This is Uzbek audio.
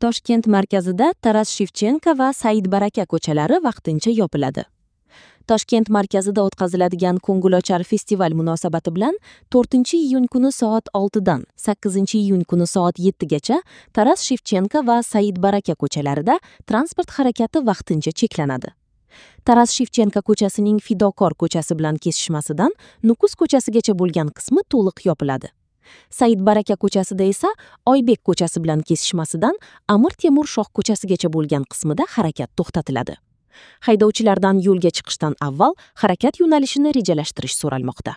Toshkent markazida Taras Shevchenko va Said Baraka ko'chalari vaqtincha yopiladi. Toshkent markazida o'tkaziladigan ko'ngilochar festival munosabati bilan 4-iyun kuni soat 6 dan 8-iyun kuni soat 7 gacha Taras Shevchenko va Said Baraka ko'chalarida transport harakati vaqtincha cheklanadi. Taras Shevchenko ko'chasining Fidokor ko'chasi bilan kesishmasidan Nukus ko'chasigacha bo'lgan qismi to'liq yopiladi. Said Baraka ko'chasida esa Oybek ko'chasi bilan kesishmasidan Amir Temur shoh ko'chasigacha bo'lgan qismida harakat to'xtatiladi. Haydovchilardan yo'lga chiqishdan avval harakat yo'nalishini rejalashtirish so'ralmoqda.